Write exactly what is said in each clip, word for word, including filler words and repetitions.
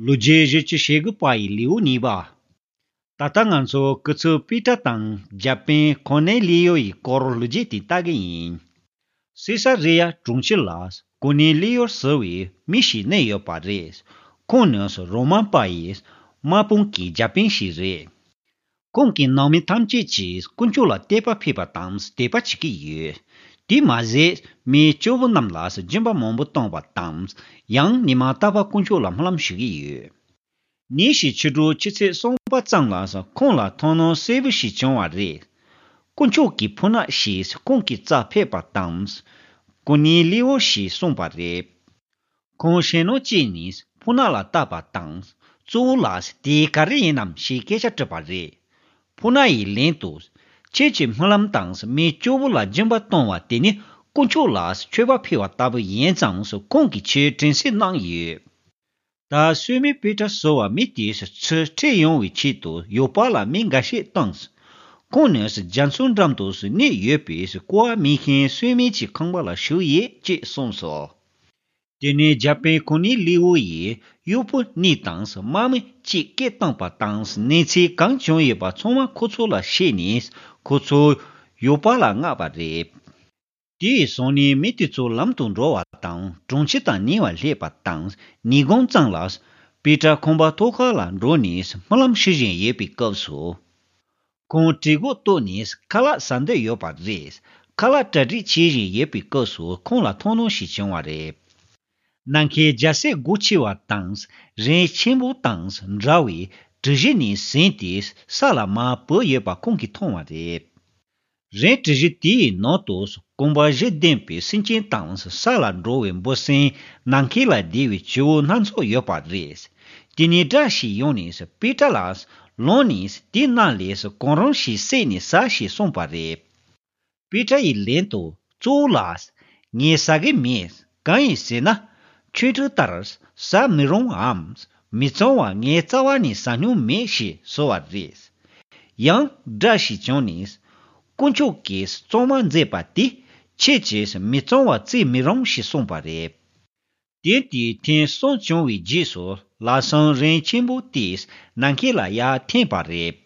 ལོ་རྒྱུས་བཞི་བཅུ་ཞེ་དགུ་པ་ཡི་ལེའུ་གཉིས་པ། ད་ལྟ་ང་ཚོ་སྐུ་ཚབ་པེ་ཏྲ་དང་རྒྱ་དཔོན་གོ་ནེ་ལི་ཡོ་ཡི་སྐོར་ལོ་རྒྱུས་དེ་ལྟ་གི་ཡིན། སི་ས་རི་ཡ་གྲོང་ཁྱེར་ལ་གོ་ནེ་ལི་ཡོ་ཟེར་བའི་མི་ཞིག་གནས་ཡོད་པ་རེད། ཁོང་ནི་རོ་མ་པ་ཡི་དམག་དཔུང་གི་རྒྱ་དཔོན་ཞིག་རེད། ཁོང་གི་ནང་མི་ཐམས་ཅད་ཀྱིས་དཀོན་མཆོག་ལ་དད་པ་ཕེབས་པ་དང་དད་པ་བྱེད་ཀྱི་ཡོད། དེ་མ་ཟད་མི་སྐྱོ་བོ་རྣམས་ལ་སྦྱིན་པ་མང་པོ་གཏོང་བ་དང་ཡང་ཉི་མ་རྟག་པར་དཀོན་མཆོག་ལ་སྨོན་ལམ་ཞུ་གི་ཡོད། ཉིན་ཞིག་ཕྱི་དྲོ་ཆུ་ཚོད་གསུམ་པ་ཙམ་ལ་ཁོང་ལ་མཐོང་སྣང་གསལ་པོ་ཞིག་བྱུང་བ་རེད། དཀོན་མཆོག་གི་ཕོ་ཉ་ཞིག་ཁོང་གི་རྩར་ཕེབས་པ་དང་། གོ་ནེ་ལི་ཡོ་ཞེས་གསུངས་པ་རེད། ཁོང་ཞེད་སྣང་སྐྱེས་ནས་ཕོ་ཉ་ལ་བལྟས་པ་དང་། གཙོ་བོ་ལགས་དེ་ག་རེ་ཡིན་ནམ་ཞེས་སྐད་ཆ་དྲིས་པ་རེད། ཕོ་ཉ་ཡིས་ལན་དུ། ཁྱེད་ཀྱི་སྨོན་ལམ་དང་མི་སྐྱོ་བོ་ལ་སྦྱིན་པ་གཏོང་བ་དེ་ནི་དཀོན་མཆོག་ལ་མཆོད་པ་ཕུལ་བ་ལྟ་བུ་ཡིན་ཙང་ཁོང་གིས་ཁྱེད་དྲན་གསོ་གནང་ཡོད། ད་སུའེ་མེ་པེ་ཏྲ་ཟེར་བ་མི་དེས་ཚུར་ཁྲིད་ཡོང་བའི་ཆེད་དུ་ཡོ་པ་ལ་མི་འགའ་ཤས་བཏང་། ཁོང་ནི་རྒྱ་མཚོ་འགྲམ་དུ་གནས་ཡོད་པའི་ཀོ་བ་མེད་མཁན་སུའེ་མེ་གྱི་ཁང་པ་ལ་བཞུགས་ཡོད་ཅེས་གསུངས་སོ། དེ་ནས་རྒྱ་དཔོན་གོ་ནེ་ལི་ཡོ་ཡིས་གཡོག་པོ་གཉིས་དང་དམག་མི་གཅིག་སྐད་བཏང་པ་དང་གནས་ཚུལ་གང་བྱུང་ཡོད་པ་ཚང་མ་ཁོ་ཚོ་ལ་བཤད་ནས་ཁོ་ཚོ་ཡོ་པ་ལ་མངགས་པ་རེད། དེ་ཡི་སང་ཉིན་མི་དེ་ཚོ་ལམ་དུ་འགྲོ་བ་དང་གྲོང་ཁྱེར་དང་ཉེ་བར་སླེབས་པ་དང་ཉིན་གུང་ཙམ་ལ་པེ་ཏྲ་ཁང་པ་ཐོག་ཁ་ལ་འགྲོ་ནས་སྨོན་ལམ་ཞུ་བཞིན་ཡོད་པའི་སྐབས་སུ། ཁོང་གྲོད་ཁོག་ལྟོགས་ནས་ཁ་ལག་ཟ་འདོད་ཡོད་པ་རེད། ཁ་ལག་གྲ་སྒྲིག་བྱེད་བཞིན་ཡོད་པའི་སྐབས་སུ་ཁོང་ལ་མཐོང་སྣང་ཞིག་བྱུང་བ་རེད། ནམ་མཁའི་རྒྱལ་སྲས་སྒོ་ཕྱེ་བ་དང་རི་ཆེན་པོ་དང་འདྲ་བའི་གྲུ་བཞི་ནས་ཟིན་ཏེ་ས་ལ་མར་བབས་ཡོད་པ་ཁོང་གིས་མཐོང་བ་རེད། རི་གྲུ་བཞི་དེའི་ནང་དུ་རྐང་པ་བཞི་ལྡན་པའི་སེམས་ཅན་དང་ས་ལ་འགྲོ་བའི་འབུ་སྲིན། ནམ་མཁའ་ལ་བསྡད་པའི་བྱི་བོ་སྣ་ཚོགས་ཡོད་པ་རེད། དེ་ནས་སྒྲ་ཞིག་ཡོང་ནས་པེ་ཏྲ་ལ། ལངས་ནས་དེ་རྣམས་ལས་གང་རུང་ཞིག་བསད་ནས་ཟ་ཞེས་གསུངས་པ་རེད། པེ་ཏྲ་ཡིས་ལན་དུ། གཙོ་བོ་ལགས། ངས་ཟ་གི་མེད། གང་ཡིན་ཟེར་ན། ཆོས་ཁྲིམས་ལྟར་ཟ་མི་རུང་ངམ། མི་གཙང་བ་ངས་རྩ་བ་ནས་ཟ་མྱོང་མེད་ཞེས་ཟེར་བ་རེད། ཡང་སྒྲ་ཞིག་བྱུང་ནས། དཀོན་མཆོག་གིས་གཙང་མ་མཛད་པ་དེ་ཁྱེད་ཀྱིས་མི་གཙང་བ་བརྩི་མི་རུང་ཞེས་གསུངས་པ་རེད། དེ་དུས་ཐེངས་གསུམ་བྱུང་བའི་རྗེས་སུ་ལམ་སང་རི་ཆེན་པོ་དེས་ནམ་མཁའ་ལ་ཡར་འཐེན་པ་རེད།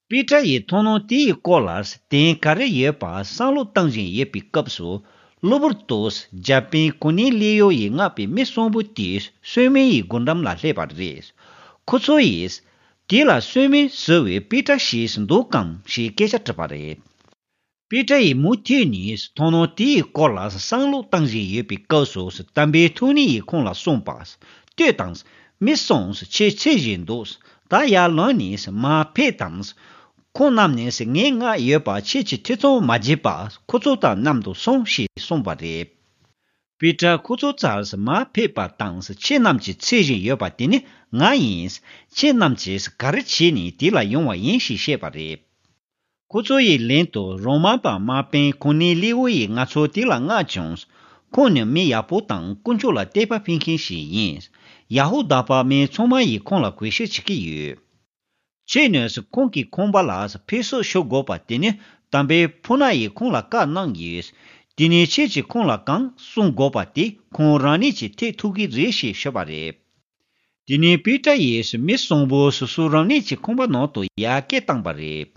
པེ་ཏྲ་ཡི་མཐོང་སྣང་དེའི་སྐོར་ལ་དོན་ག་རེ་ཡོད་པ་བསམ་བློ་བཏང་བཞིན་ཡོད་པའི་སྐབས་སུ་གློ་བུར་དུ་རྒྱ་དཔོན་གོ་ནེ་ལི་ཡོ་ཡིས་མངགས་པའི་མི་གསུམ་པོ་དེ་སུའེ་མེ་ཡི་སྒོ་འགྲམ་ལ་སླེབས་པ་རེད། ཁོ་ཚོ་ཡིས། དེ་ལ་སུའེ་མེ་ཟེར་བའི་པེ་ཏྲ་ཞིག་འདུག་གམ་ཞེས་སྐད་ཆ་དྲིས་པ་རེད། པེ་ཏྲ་ཡིས་མུ་མཐུད་ནས་མཐོང་སྣང་དེའི་སྐོར་ལ་བསམ་བློ་བཏང་བཞིན་ཡོད་པའི་སྐབས་སུ་དམ་པའི་ཐུགས་ཉིད་ཡིས་ཁོང་ལ་གསུངས་པ། ལྟོས་དང་། མི་གསུམ་ཁྱེད་འཚོལ་བཞིན་འདུག་ད་ཡར་ལངས་ནས་མར་ཕེབས་དང་། ཁོང་རྣམས་ནས་ངས་མངགས་ཡོད་པ་ཁྱེད་ཀྱིས་ཐེ་ཚོམ་མ་བྱེད་པར་ཁོ་ཚོ་དང་མཉམ་དུ་སོང་ཞེས་གསུངས་པ་རེད། པེ་ཏྲ་ཁོ་ཚོའི་རྩར་མར་ཕེབས་པ་དང་ཁྱེད་རྣམས་ཀྱིས་འཚོལ་བཞིན་ཡོད་པ་དེ་ནི་ང་ཡིན། ཁྱེད་རྣམས་ཀྱིས་ག་རེ་བྱས་ནས་དེ་ལ་ཡོང་བ་ཡིན་ཞེས་བཤད་པ་རེད། ཁོ་ཚོ་ཡི་ལན་དུ་རོ་མ་པ་དམག་དཔོན་གོ་ནེ་ལི་ཡོ་ཡིས་ང་ཚོ་དེ་ལ་མངགས་བྱུང་། ཁོང་ནི་མི་ཡག་པོ་དང་དཀོན་མཆོག་ལ་དད་པ་ཕུལ་མཁན་ཞིག་ཡིན། ཡ་ཧུ་དཱ་པ་མི་ཚང་མ་ཡིས་ཁོང་ལ་གུས་ཞབས་བྱེད་ཀྱི་ཡོད། ཁྱེད་ནས་ཁོང་གི་ཁང་པ་ལ་ཕེབས་བསུ་ཞུ་དགོས་པ་དེ་ནི་དམ་པའི་ཕོ་ཉ་ཡིས་ཁོང་ལ་བཀའ་གནང་ཡོད། དེ་ནས་ཁྱེད་ཀྱིས་ཁོང་ལ་གང་གསུང་དགོས་པ་དེ་ཁོང་རང་ཉིད་ཀྱིས་ཐེག་ཐུབ་ཀྱི་རེད་ཞེས་ཞུས་པ་རེད། དེ་ནས་པེ་ཏྲ་ཡིས་མི་གསུམ་པོ་སོ་སོ་རང་ཉིད་ཀྱི་ཁང་པ་ནང་དུ་ཡར་སྐད་བཏང་པ་རེད།